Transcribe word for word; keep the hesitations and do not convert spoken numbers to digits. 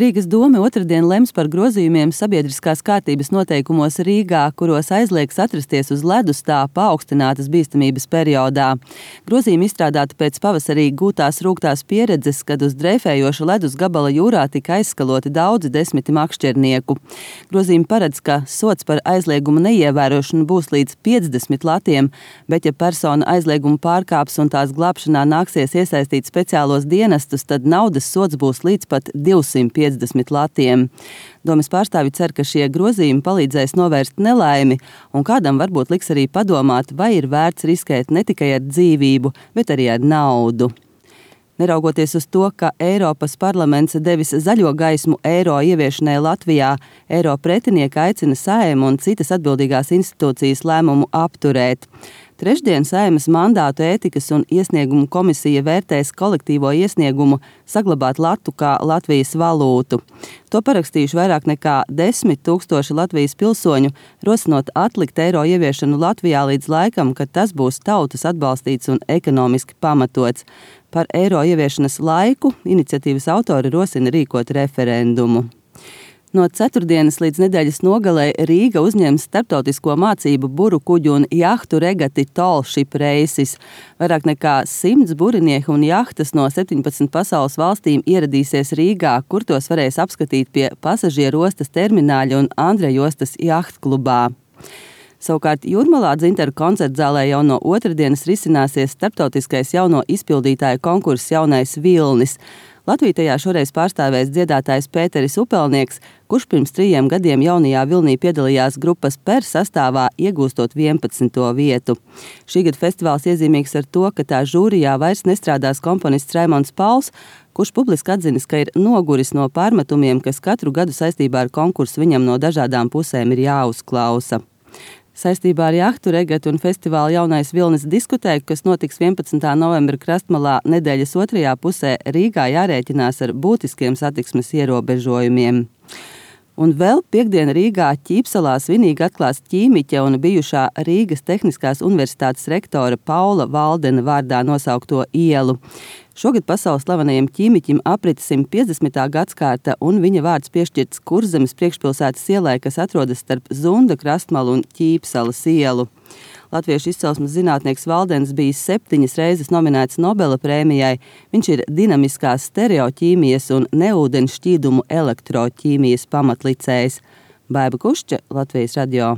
Rīgas dome otrdien lems par grozījumiem sabiedriskās kārtības noteikumos Rīgā, kuros aizliegs atrasties uz ledus tā paaugstinātas bīstamības periodā. Grozījumi izstrādāti pēc pavasarī gūtās rūgtās pieredzes, kad uz dreifējoša ledus gabala jūrā tika aizskaloti daudzi desmiti makšķernieku. Grozījumi paredz, ka sods par aizlieguma neievērošanu būs līdz piecdesmit latiem, bet ja persona aizliegumu pārkāps un tās glābšanā nāksies iesaistīt speciālos dienestus, tad naudas sods būs līdz pat divsimt piecdesmit latiem. Domes pārstāvji cer, ka šie grozījumi palīdzēs novērst nelaimi, un kādam varbūt liks arī padomāt, vai ir vērts riskēt ne tikai ar dzīvību, bet arī ar naudu. Neraugoties uz to, ka Eiropas parlaments devis zaļo gaismu eiro ieviešanai Latvijā, eiro pretinieki aicina Saeimu un citas atbildīgās institūcijas lēmumu apturēt. Trešdien Saeimas mandātu ētikas un iesniegumu komisija vērtēs kolektīvo iesniegumu saglabāt latu kā Latvijas valūtu. To parakstījuši vairāk nekā desmit tūkstoši Latvijas pilsoņu, rosinot atlikt eiro ieviešanu Latvijā līdz laikam, kad tas būs tautas atbalstīts un ekonomiski pamatots. Par eiro ieviešanas laiku iniciatīvas autori rosina rīkot referendumu. No ceturtdienas līdz nedēļas nogalē Rīga uzņems starptautisko mācību buru kuģu un jahtu regati Tall Ship Races. Vairāk nekā simts burinieki un jahtas no septiņpadsmit pasaules valstīm ieradīsies Rīgā, kur tos varēs apskatīt pie pasažieru ostas termināļa un Andreja ostas jahtklubā. Savukārt Jūrmalā Dzintaru koncertzālē jau no otrdienas risināsies starptautiskais jauno izpildītāju konkurss Jaunais Vilnis. Latviju tajā šoreiz pārstāvēs dziedātājs Pēteris Upelnieks, kurš pirms trījiem gadiem jaunajā Vilnī piedalījās grupas Per sastāvā, iegūstot vienpadsmito vietu. Šī gada festivāls iezīmīgs ar to, ka tā žūrijā vairs nestrādās komponists Raimonds Pauls, kurš publiski atzinis, ka ir noguris no pārmetumiem, kas katru gadu saistībā ar konkursu viņam no dažādām pusēm ir jāuzklausa. Saistībā ar jahtu regatu un festivālu Jaunais Vilnis diskutēja, kas notiks vienpadsmitā novembra Krastmalā nedēļas otrajā pusē, Rīgā jārēķinās ar būtiskiem satiksmes ierobežojumiem. Un vēl piekdien Rīgā Ķīpsalā svinīgi atklās ķīmiķa un bijušā Rīgas Tehniskās universitātes rektora Paula Valdena vārdā nosaukto ielu. Šogad pasaules slavenajam ķīmiķim aprita simt piecdesmitā gadskārta, un viņa vārds piešķirts Kurzemes priekšpilsētas ielai, kas atrodas starp Zunda, Krastmalu un Ķīpsalas ielu. Latviešu izcelsmes zinātnieks Valdens bija septiņas reizes nominēts Nobela prēmijai. Viņš ir dinamiskās stereoķīmijas un neūdeņu šķīdumu elektroķīmijas pamatlicējs. Baiba Kušča, Latvijas radio.